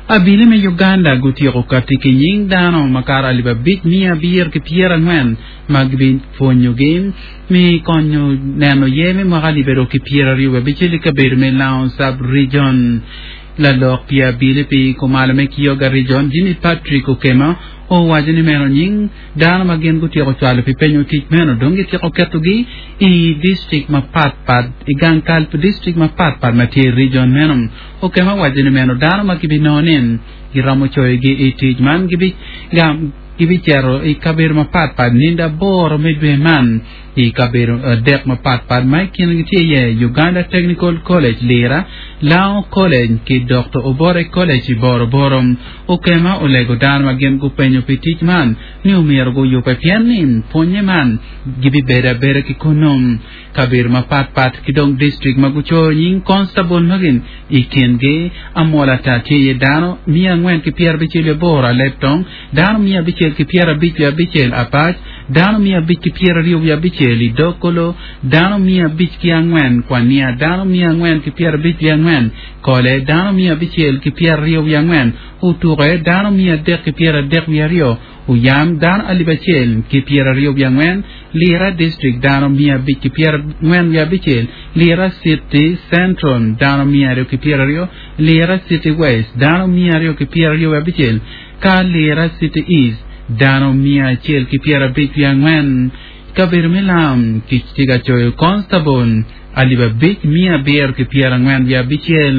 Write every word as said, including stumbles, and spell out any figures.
Abili me Uganda gutyeko kati ki nying dano makato alip abic mia abiro ki pyerangwen ma gibipwonyogi me konyo neno ye me mwaka alip aryo ki pyeraryo wiye abicel i kabedo me Lango sub-region. Lalok pi abili pi kumalo me Kyoga region Jimmy Patrick Okema owaco ni meno nying dano ma gin gutyeko cwalo pi penyo tic meno dong gityeko ketogi i district mapatpat i gang kal pi district mapatpat ma tye i region meno. Okema owaco ni meno dano ma gibinongo ni giromo coyogi i tic man gibicito i kabedo mapatpat nindo aboro me dwe man i kabedo adek mapatpat ma i kingi tye iye Uganda Technical College Lira, Lango College ki Dr. Obore College i Boroboro. Okema olego dano ma gin gupenyo pi tic man ni omyero guyube pien ni pwonye man gibibedo abeda ki kunnu. Kabedo mapatpat ki dong district ma gucoyo nying constable magi i kingi Amolata tye iye dano mia angwen ki pyerabicel wiye aboro Alebtong, dano mia abicel ki pyerabic wiye abicel Apac, dano mia abic ki pyeraryo wiye abicel i Dokolo, dano mia abic ki angwen Kwania, dano mia angwen ki pyerabic wiye angwen Kole, dano mia abicel ki pyeraryo wiye angwen Otuke, dano mia adek ki pyeradek wiye aryo Oyam, dano alip acel ki pyeraryo wiye angwen Lira District, dano mia abic ki pyerangwen wiye abicel Lira City Central, dano mia aryo ki pyeraryo Lira City West, dano mia aryo ki pyeraryo wiye abicel ka Lira City East, dano mia acel ki pyerabic wiye angwen. Kabedo me lam tye ka coyo constable alip abic mia abiro ki pyerangwen wiye abicel.